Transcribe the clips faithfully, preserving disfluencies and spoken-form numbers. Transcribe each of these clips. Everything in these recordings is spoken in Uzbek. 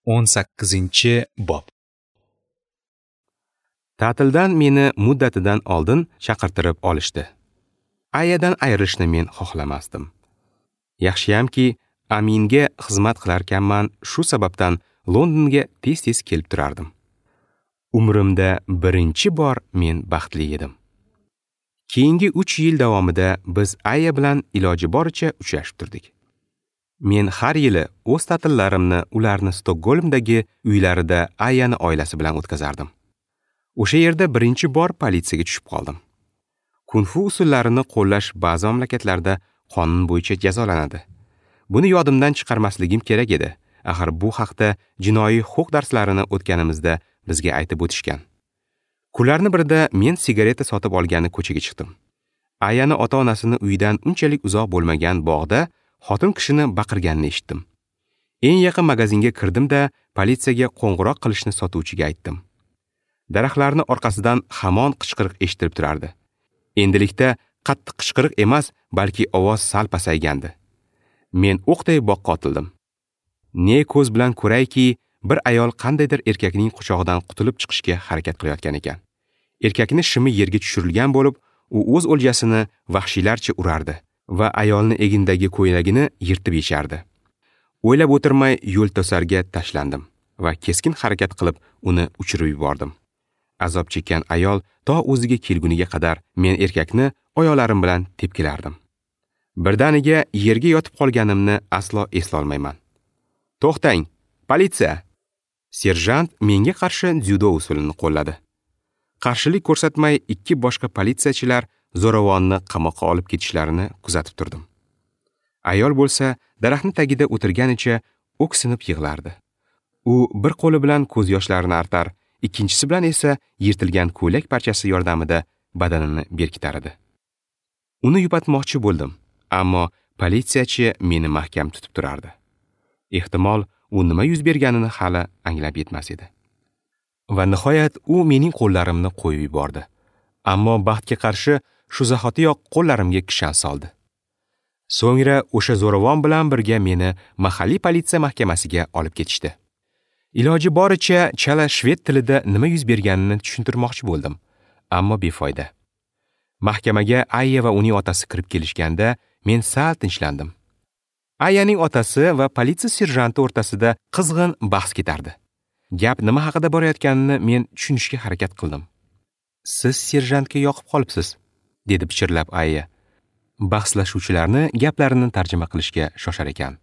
O'n sakkizinchi bob. Ta'tildan meni muddatidan oldin chaqirtirib olishdi. Ayadan ayrilishni men xohlamasdim. Yaxshiyamki, Aminga xizmat qilarkanman, shu sababdan Londonga tez-tez kelib turardim. Umrimda birinchi bor men baxtli edim. Keyingi uch yil davomida biz Aya bilan iloji boricha uchrashib turdik. Men har yili o'z ta'tillarimni ularni Stokgolmdagi uylarida Ayani oilasi bilan o'tkazardim. O'sha yerda birinchi bor politsiyaga tushib qoldim. Kung-fu usullarini qo'llash ba'zi mamlakatlarda qonun bo'yicha jazolanadi. Buni yodimdan chiqarmasligim kerak edi. Axir bu haqda jinoiy huquq darslarini o'tganimizda bizga aytib o'tishgan. Kunlarning birida men sigareta sotib olgani ko'chaga chiqdim. Ayani ota-onasini uyidan unchalik uzoq bo'lmagan bog'da xotin kishini baqirganini eshitdim. Eng yaqin magazinga kirdim-da, politsiyaga qo'ng'iroq qilishni sotuvchiga aytdim. Daraxtlarning orqasidan hamon qichqiriq eshitilib turardi. Endilikda qattiq qichqiriq emas, balki ovoz sal pasaygandi. Men o'qday boqqa otildim. Ne ko'z bilan ko'rayki, bir ayol qandaydir erkakning quchog'idan qutulib chiqishga harakat qilayotgan ekan. Erkakning shimi yerga tushirilgan bo'lib, u o'z o'ljasini vahshiylarcha urardi va ayolni egindagi ko'ylagini yirtib yechardi. O'ylab o'tirmay yo'l to'sarga tashlandim va keskin harakat qilib uni uchirib yubordim. Azob chekkan ayol to o'ziga kelguniga qadar men erkakni oyoqlarim bilan tepkilardim. Birdaniga yerga yotib qolganimni aslo eslolmayman. To'xtang, politsiya! Serjant menga qarshi dzyudo usulini qo'lladi. Qarshilik ko'rsatmay ikki boshqa politsiyachilar zo'ravonni qamoqqa olib ketishlarini kuzatib turdim. Ayol bo'lsa daraxtning tagida o'tirganicha o'ksinib yig'lardi. U bir qo'li bilan ko'z yoshlarini artar, ikkinchisi bilan esa yirtilgan ko'ylak parchasi yordamida badanini berkitar edi. Uni yupatmoqchi bo'ldim, ammo politsiyachi meni mahkam tutib turardi. Ehtimol, u nima yuz berganini hali anglab yetmas edi. Va nihoyat u mening qo'llarimni qo'yib yubordi. Ammo baxtga qarshi shu zahotiyoq qo'llarimga kishan soldi. So'ngra o'sha zo'ravon bilan birga meni mahalliy politsiya mahkamasiga olib ketishdi. Iloji boricha chala shved tilida nima yuz berganini tushuntirmoqchi bo'ldim, ammo befoyda. Mahkamaga Aya va uning otasi kirib kelishganda men sal tinchlandim. Ayaning otasi va politsiya serjanti o'rtasida qizg'in bahs ketardi. Gap nima haqida borayotganini men tushunishga harakat qildim. Siz serjantga yoqib qolibsiz, dedi pichirlab Aya. Bahslashuvchilarni gaplarini tarjima qilishga shoshar ekan.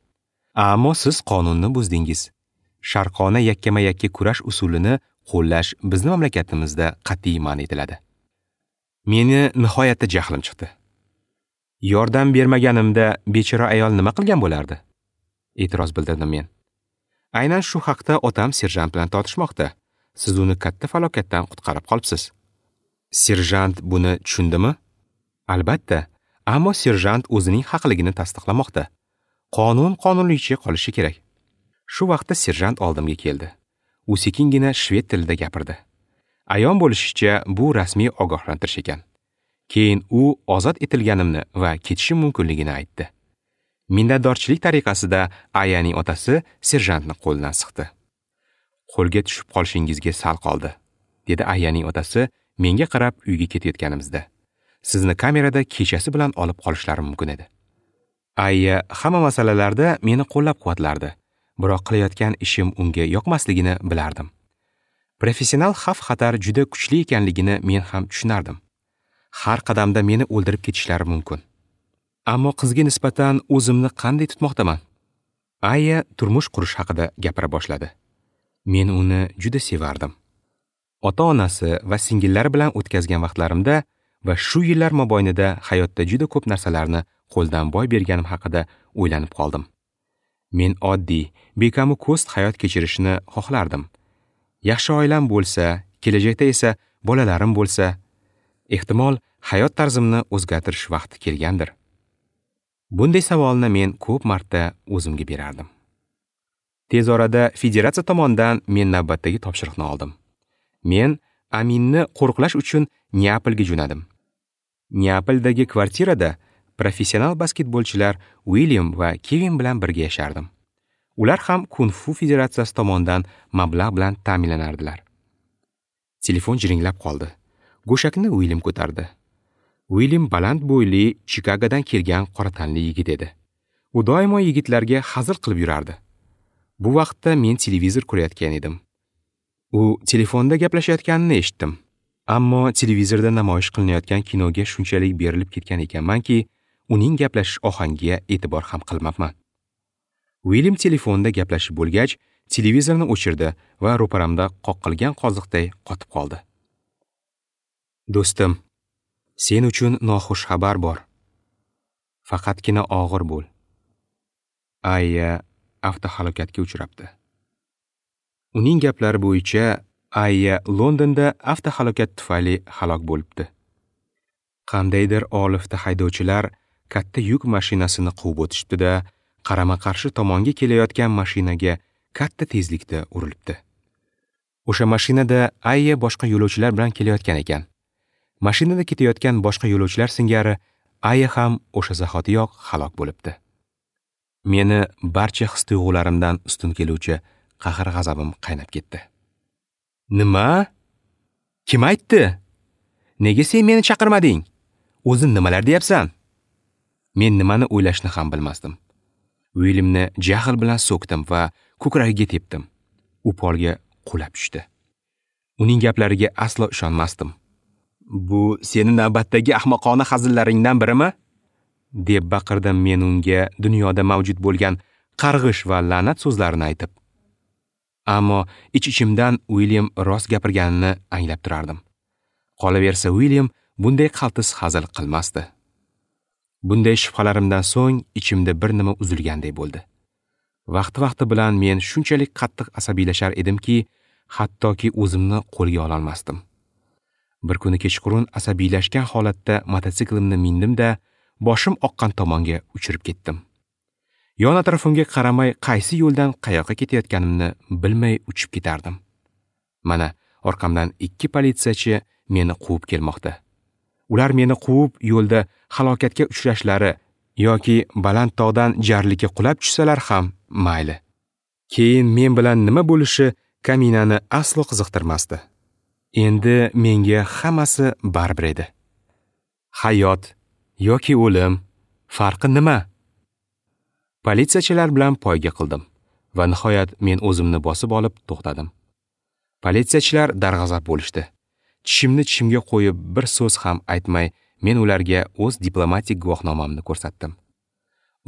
Ammo siz qonunni buzdingiz. Sharqona yakkama-yakka kurash usulini qo'llash bizni mamlakatimizda qat'iy man etiladi. Meni nihoyatda jahlim chiqdi. Yordam bermaganimda bechora ayol nima qilgan bo'lardi? E'tiroz bildirdim men. Aynan shu haqda otam serjant bilan tortishmoqda. Siz uni katta falokatdan qutqarib qolibsiz. Serjant buni tushundimi? Albatta, ammo serjant o'zining haqligini tasdiqlamoqda. Qonun qonunligicha qolishi kerak. Shu vaqtda serjant oldimga keldi. U sekingina shved tilida gapirdi. Ayon bo'lishicha, bu rasmiy ogohlantirish ekan. Keyin u ozod etilganimni va ketishim mumkinligini aytdi. Minnatdorchilik tariqasida Ayaning otasi serjantni qo'lidan siqdi. Qo'lga tushib qolishingizga sal qoldi, dedi Ayaning otasi menga qarab uyga ketayotganimizda. Sizni kamerada kechasi bilan olib qolishlari mumkin edi. Aya hamma masalalarda meni qo'llab-quvvatlardi, biroq qilayotgan ishim unga yoqmasligini bilardim. Professional xavf-xatar juda kuchli ekanligini men ham tushunardim. Har qadamda meni o'ldirib ketishlari mumkin. Ammo qizga nisbatan o'zimni qanday tutmoqdaman? Aya turmush qurish haqida gapira boshladi. Men uni juda sevardim. Ota-onasi va singillari bilan o'tkazgan vaqtlarimda va shu yillar mobaynida hayotda juda ko'p narsalarni qo'ldan boy berganim haqida o'ylanib qoldim. Men oddiy, bekamu ko'st hayot kechirishni xohlardim. Yaxshi oilam bo'lsa, kelajakda esa bolalarim bo'lsa, ehtimol hayot tarzimni o'zgartirish vaqti kelgandir. Bunday savolni men ko'p marta o'zimga berardim. Tez orada federatsiya tomonidan men navbatdagi topshiriqni oldim. Men Aminni qo'riqlash uchun Neapolga jo'nadim. Neapoldagi kvartirada professional basketbolchilar William va Kevin bilan birga yashardim. Ular ham Kung-fu federatsiyasi tomonidan mablag' bilan ta'minlanardilar. Telefon jiringlab qoldi. Go'shakni Uilyam ko'tardi. Uilyam baland bo'yli, Chikagodan kelgan qora tanli yigit edi. U doimo yigitlarga hazil qilib yurardi. Bu vaqtda men televizor ko'rayotgan edim. U telefonda gaplashayotganini eshitdim. Ammo televizorda namoyish qilinayotgan kinoga shunchalik berilib ketgan ekanmanki, uning gaplashish ohangiga e'tibor ham qilmabman. Uilyam telefonda gaplashib bo'lgach, televizorni o'chirdi va ro'paramda qoqilgan qoziqday qotib qoldi. Do'stim, sen uchun noxush xabar bor. Faqatgina og'ir bo'l. Aya avtohalokatga uchrabdi. Uning gaplari bo'yicha Aya Londonda avtohalokat tufayli halok bo'libdi. Qandaydir olifta haydovchilar katta yuk mashinasini quvib o'tishibdi-da, qarama-qarshi tomonga kelayotgan mashinaga katta tezlikda urilibdi. O'sha mashinada Aya boshqa yo'lovchilar bilan kelayotgan ekan. Mashinada ketayotgan boshqa yo'lovchilar singari Aya ham o'sha zahotiyoq halok bo'libdi. Meni barcha his-tuyg'ularimdan ustun keluvchi qahr-g'azabim qaynab ketdi. Nima? Kim aytdi? Nega sen meni chaqirmading? O'zing nimalar deyapsan? Men nimani o'ylashni ham bilmasdim. Uilyamni jahl bilan so'kdim va ko'kragiga tepdim. U polga qulab tushdi. Uning gaplariga aslo ishonmasdim. Bu seni navbatdagi ahmoqona hazillaringdan birimi? Deb baqirdim men unga dunyoda mavjud bo'lgan qarg'ish va la'nat so'zlarini aytib. Ammo ich-ichimdan Uilyam rost gapirganini anglab turardim. Qolaversa Uilyam bunday qaltis hazil qilmasdi. Bunday shubhalarimdan so'ng ichimda bir nima uzilganday bo'ldi. Vaqti-vaqti bilan men shunchalik qattiq asabiylashar edimki, hattoki o'zimni qo'lga ololmasdim. Bir kuni kechqurun asabiylashgan holatda mototsiklimni mindim-da, boshim oqqan tomonga uchirib ketdim. Yon atrofimga qaramay qaysi yo'ldan qayoqqa ketayotganimni bilmay uchib ketardim. Mana orqamdan ikki politsiyachi meni quvib kelmoqda. Ular meni quvib yo'lda halokatga uchrashlari yoki baland tog'dan jarlikka qulab tushsalar ham mayli. Keyin men bilan nima bo'lishi kaminani aslo qiziqtirmasdi. Endi menga hammasi baribir edi. Hayot yoki o'lim farqi nima? Politsiyachilar bilan poyga qildim va nihoyat men o'zimni bosib olib to'xtadim. Politsiyachilar darg'azab bo'lishdi. Tishimni tishimga qo'yib bir so'z ham aytmay, men ularga o'z diplomatik guvohnomamni ko'rsatdim.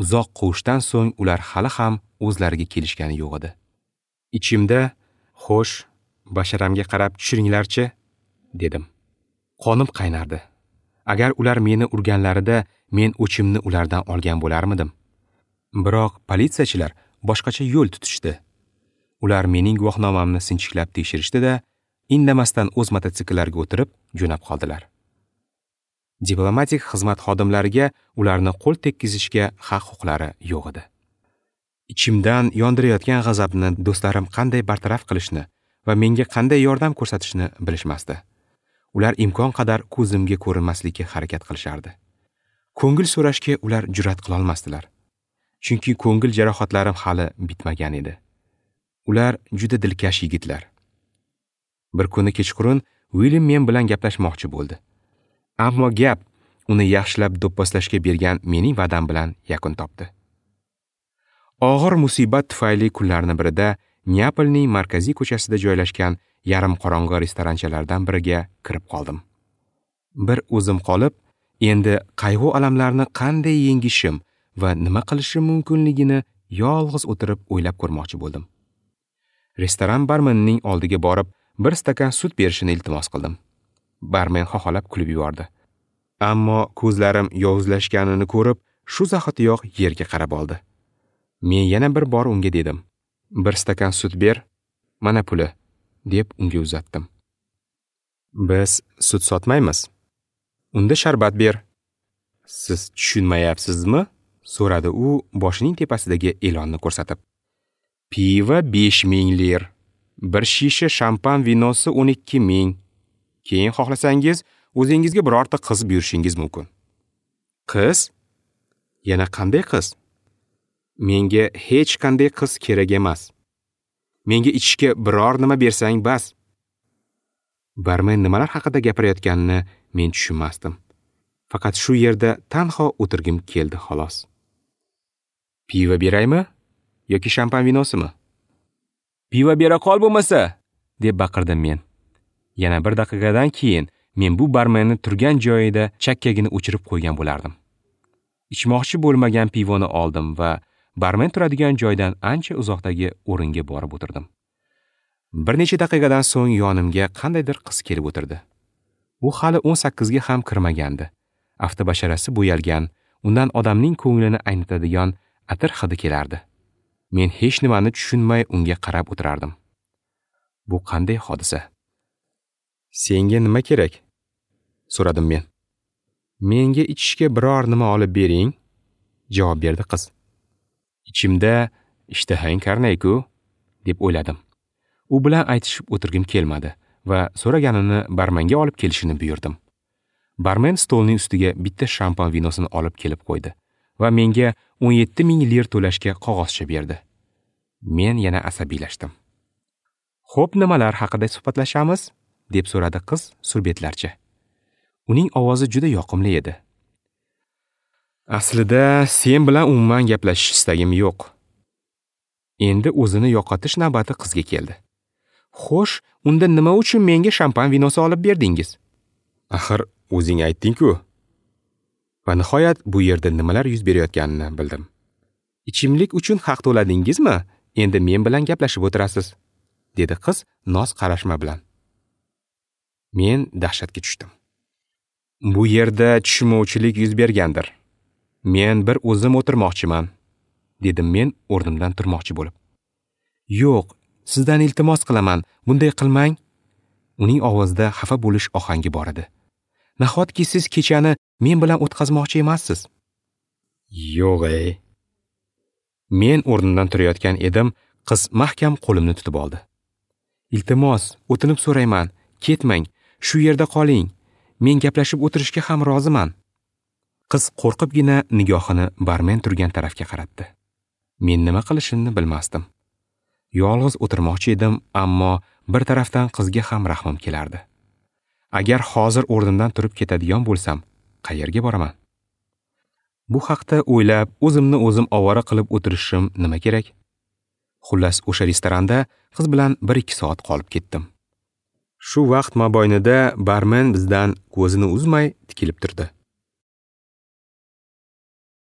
Uzoq quvishdan so'ng ular hali ham o'zlariga kelishgani yo'q edi. Ichimda, xo'sh, basharamga qarab tushiringlarchi, dedim. Qonim qaynardi. Agar ular meni urganlarida men o'chimni ulardan olgan bo'larmidim? Biroq politsiyachilar boshqacha yo'l tutishdi. Ular mening guvohnomamni sinchiklab tekshirishdi-da, indamasdan o'z mototsikllariga o'tirib jo'nab qoldilar. Diplomatik xizmat xodimlariga ularni qo'l tekkizishga haq-huquqlari yo'q edi. Ichimdan yondirayotgan g'azabni do'stlarim qanday bartaraf qilishni va menga qanday yordam ko'rsatishni bilishmasdi. Ular imkon qadar ko'zimga ko'rinmaslikka harakat qilishardi. Ko'ngil so'rashga ular jur'at qila olmasdilar. Chunki ko'ngil jarohatlarim hali bitmagan edi. Ular juda dilkash yigitlar. Bir kuni kechqurun Uilyam men bilan gaplashmoqchi bo'ldi. Ammo gap uni yaxshilab do'pposlashga bergan mening va'dam bilan yakun topdi. Og'ir musibat tufayli kunlarning birida Neapolning markaziy ko'chasida joylashgan yarim qorong'i restoranchalardan biriga kirib qoldim. Bir o'zim qolib, endi qayg'u alamlarni qanday yengishim va nima qilishim mumkinligini yolg'iz o'tirib o'ylab ko'rmoqchi bo'ldim. Restoran barmenining oldiga borib, bir stakan sut berishini iltimos qildim. Barmen xoxolab kulib yubordi. Ammo ko'zlarim yovuzlashganini ko'rib, shu zahotiyoq yerga qarab oldi. Men yana bir bor unga dedim: "Bir stakan sut ber, mana puli", deb unga uzatdim. "Biz sut sotmaymiz. Unda sharbat ber." "Siz tushunmayapsizmi?" so'radi u boshining tepasidagi e'lonni ko'rsatib. "Pivo besh ming lir, bir shisha shampan vinosi o'n ikki ming. Keyin xohlasangiz, o'zingizga birorta qiz buyurishingiz mumkin." "Qiz? Yana qanday qiz?" Menga hech qanday qiz kerak emas. Menga ichishga biror nima bersang bas. Barmen nimalar haqida gapirayotganini men tushunmasdim. Faqat shu yerda tanho o'tirgim keldi xolos. Pivo beraymi yoki shampan vinosimi? Pivo bera qol bo'lmasa, deb baqirdim men. Yana bir daqiqadan keyin men bu barmenni turgan joyida chakkagini o'chirib qo'ygan bo'lardim. Ichmoqchi bo'lmagan pivoni oldim va barmen turadigan joydan ancha uzoqdagi o'ringa borib o'tirdim. Bir necha daqiqadan so'ng yonimga qandaydir qiz kelib o'tirdi. U hali o'n sakkizga ham kirmagandi. Avtobasharasi bo'yalgan, undan odamning ko'nglini aynitadigan atir hidi kelardi. Men hech nimani tushunmay unga qarab o'tirardim. Bu qanday hodisa? Senga nima kerak? So'radim men. Menga ichishga biror nima olib bering, javob berdi qiz. Ichimda ishtahang karnayku, deb o'yladim. U bilan aytishib o'tirgim kelmadi va so'raganini barmenga olib kelishini buyurdim. Barmen stolning ustiga bitta shampan vinosini olib kelib qo'ydi va menga o'n yetti ming lir to'lashga qog'ozcha berdi. Men yana asabiylashdim. Xo'p, nimalar haqida suhbatlashamiz? Deb so'radi qiz surbetlarcha. Uning ovozi juda yoqimli edi. Aslida sen bilan umuman gaplashish istagim yo'q. Endi o'zini yo'qotish navbati qizga keldi. Xo'sh, unda nima uchun menga shampan vinosi olib berdingiz? Axir o'zing aytding-ku. Va nihoyat bu yerda nimalar yuz berayotganini bildim. Ichimlik uchun haq to'ladingizmi? Endi men bilan gaplashib o'tirasiz, dedi qiz noz qarashma bilan. Men dahshatga tushdim. Bu yerda tushunmovchilik yuz bergandir. Men bir o'zim o'tirmoqchiman, dedim men o'rnimdan turmoqchi bo'lib. Yo'q, sizdan iltimos qilaman, bunday qilmang. Uning ovozida xafa bo'lish ohangi bor edi. Nahotki siz kechani men bilan o'tkazmoqchi emassiz? Yo'q ey. Men o'rnimdan turayotgan edim, qiz mahkam qo'limni tutib oldi. Iltimos, o'tinib so'rayman, ketmang, shu yerda qoling. Men gaplashib o'tirishga ham roziman. Qiz qo'rqibgina nigohini barmen turgan tarafga qaratdi. Men nima qilishimni bilmasdim. Yolg'iz o'tirmoqchi edim, ammo bir tarafdan qizga ham rahmim kelardi. Agar hozir o'rnimdan turib ketadigan bo'lsam, qayerga boraman? Bu haqda o'ylab, o'zimni o'zim ovora qilib o'tirishim nima kerak? Xullas, o'sha restoranda qiz bilan bir ikki soat qolib ketdim. Shu vaqt mobaynida barmen bizdan ko'zini uzmay tikilib turdi.